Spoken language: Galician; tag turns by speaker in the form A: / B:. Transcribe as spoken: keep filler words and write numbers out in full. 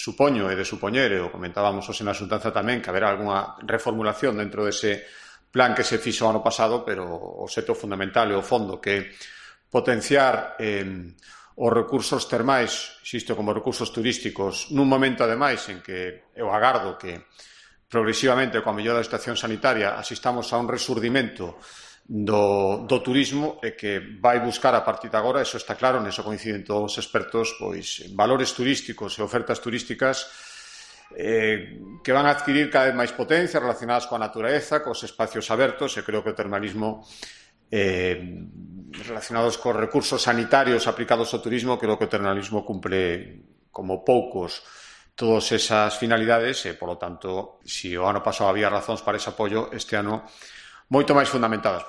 A: supoño e de supoñer, e o comentábamos hoxe na xuntanza tamén, que haberá algunha reformulación dentro dese plan que se fixo ano pasado, pero o xeito fundamental e o fondo que potenciar eh, os recursos termais, xisto como recursos turísticos, nun momento ademais en que eu agardo que progresivamente coa mellora da situación sanitaria asistamos a un resurdimento do, do turismo e que vai buscar a partir de agora, eso está claro, neso coinciden todos os expertos, pois valores turísticos e ofertas turísticas eh, que van a adquirir cada vez máis potencia relacionadas coa natureza, cos espacios abertos, e creo que o termalismo eh, relacionados cos recursos sanitarios aplicados ao turismo, creo que o termalismo cumpre como poucos todas esas finalidades e, polo tanto, se o ano pasado había razóns para ese apoio, este ano moito máis fundamentadas.